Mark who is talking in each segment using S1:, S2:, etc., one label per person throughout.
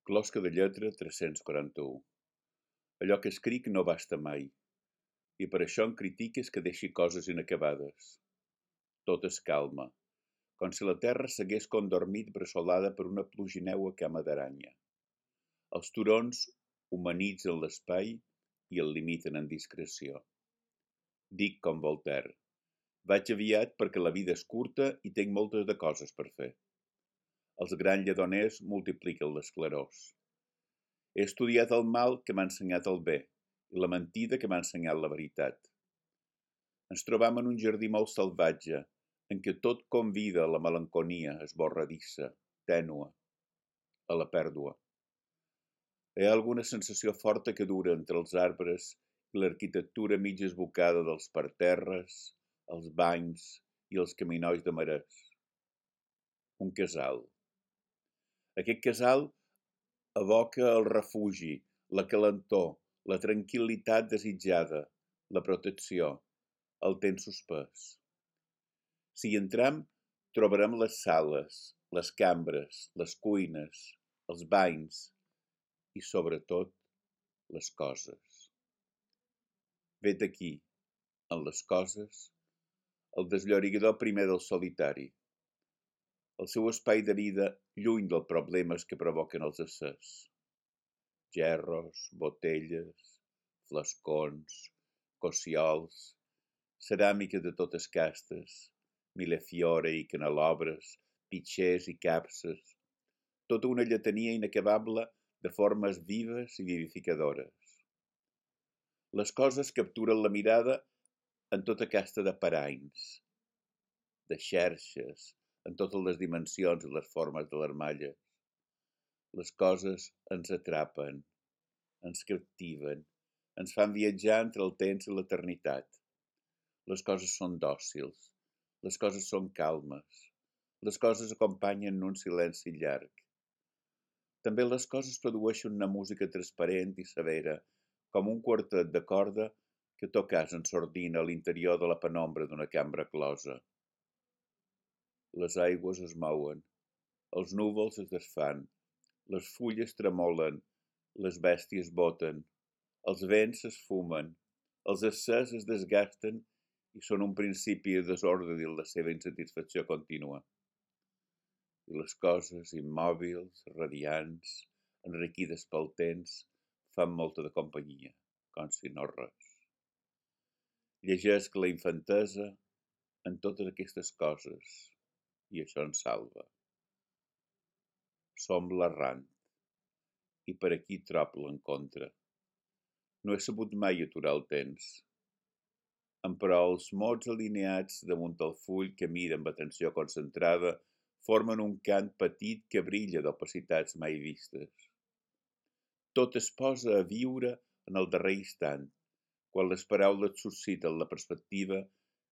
S1: Closca de lletra 341. Allò que escric no basta mai, i per això em critiques que deixi coses inacabades. Tot es calma, com si la terra s'hagués condormit bressolada per una plugineua cama d'aranya. Els turons humanitzen l'espai i el limiten en discreció. Dic com Voltaire: vaig aviat perquè la vida és curta i tinc moltes de coses per fer. Els grans lledoners multipliquen les clarors. He estudiat el mal que m'ha ensenyat el bé i la mentida que m'ha ensenyat la veritat. Ens trobam en un jardí molt salvatge, en què tot convida a la melanconia esborradissa, tènua, a la pèrdua. Hi ha alguna sensació forta que dura entre els arbres i l'arquitectura mig esbocada dels parterres, els banys i els caminolls de marès. Un casal. Aquest casal evoca el refugi, la calentor, la tranquil·litat desitjada, la protecció, el temps suspès. Si hi entram, trobarem les sales, les cambres, les cuines, els banys i, sobretot, les coses. Vet aquí, en les coses, el desllorigador primer del solitari, el seu espai de vida lluny dels problemes que provoquen els éssers. Gerros, botelles, flascons, cossiols, ceràmica de totes castes, millefiore i canelobres, pitxers i capses, tota una lletania inacabable de formes vives i vivificadores. Les coses capturen la mirada en tota casta de paranys, de xerxes, en totes les dimensions i les formes de les malles. Les coses ens atrapen, ens captiven, ens fan viatjar entre el temps i l'eternitat. Les coses són dòcils, les coses són calmes, les coses acompanyen un silenci llarg. També les coses produeixen una música transparent i severa, com un quartet de corda que tocàs en sordina a l'interior de la penombra d'una cambra closa. Les aigües es mouen, els núvols es desfan, les fulles tremolen, les bèsties boten, els vents s'esfumen, els éssers es desgasten i són un principi de desordre dins la seva insatisfacció contínua. I les coses immòbils, radiants, enriquides pel temps, fan molta de companyia, com si no res. Llegesc la infantesa en totes aquestes coses i això ens salva. Som l'errant i per aquí trob l'encontre. No he sabut mai aturar el temps. Però els mots alineats damunt el full que mira amb atenció concentrada formen un cant petit que brilla d'opacitats mai vistes. Tot es posa a viure en el darrer instant, quan les paraules susciten la perspectiva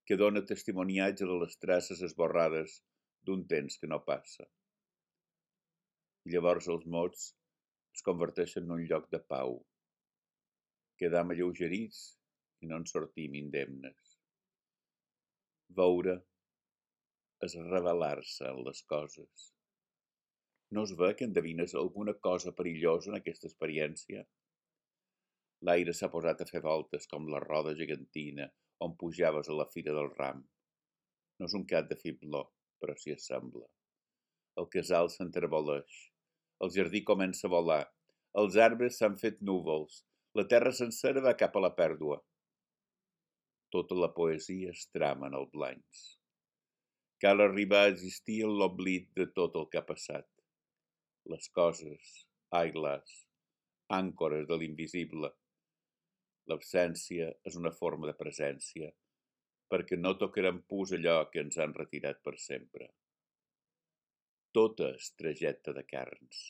S1: que dona testimoniatge de les traces esborrades d'un temps que no passa. I llavors els mots es converteixen en un lloc de pau. Quedam alleugerits i no en sortim indemnes. Veure és revelar-se en les coses. No es ve que endevines alguna cosa perillosa en aquesta experiència? L'aire s'ha posat a fer voltes com la roda gegantina on pujaves a la fira del ram. No és un cap de fibló, però s'hi assembla. El casal s'enterboleix, el jardí comença a volar, els arbres s'han fet núvols, la terra sencera va cap a la pèrdua. Tota la poesia es trama en el blancs. Cal arribar a existir en l'oblit de tot el que ha passat. Les coses, ai-las, àncores de l'invisible. L'absència és una forma de presència, perquè no tocarem pus allò que ens han retirat per sempre. Tota és trajecte de carns.